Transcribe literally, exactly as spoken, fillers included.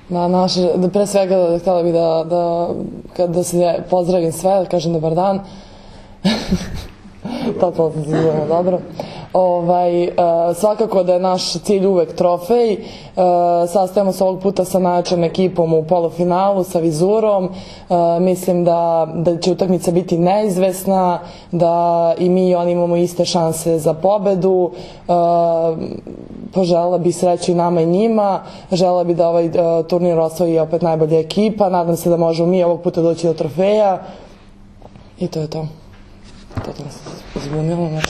Da, naše, da pre svega htjela bih da, da, da se pozdravim sve, da kažem dobar dan. Totalno sam se zbunila, dobro. Ovaj, uh, svakako da je naš cilj uvek trofej. Uh, sastajemo se ovog puta sa najjačom ekipom u polufinalu, sa Vizurom. Uh, mislim da, da će utakmica biti neizvesna, da i mi i oni imamo iste šanse za pobedu. Uh, poželjela bih sreću i nama i njima. Želela bih da ovaj uh, turnir osvoji opet najbolja ekipa. Nadam se da možemo mi ovog puta doći do trofeja. I to je to. Totalno sam se zbunila, znači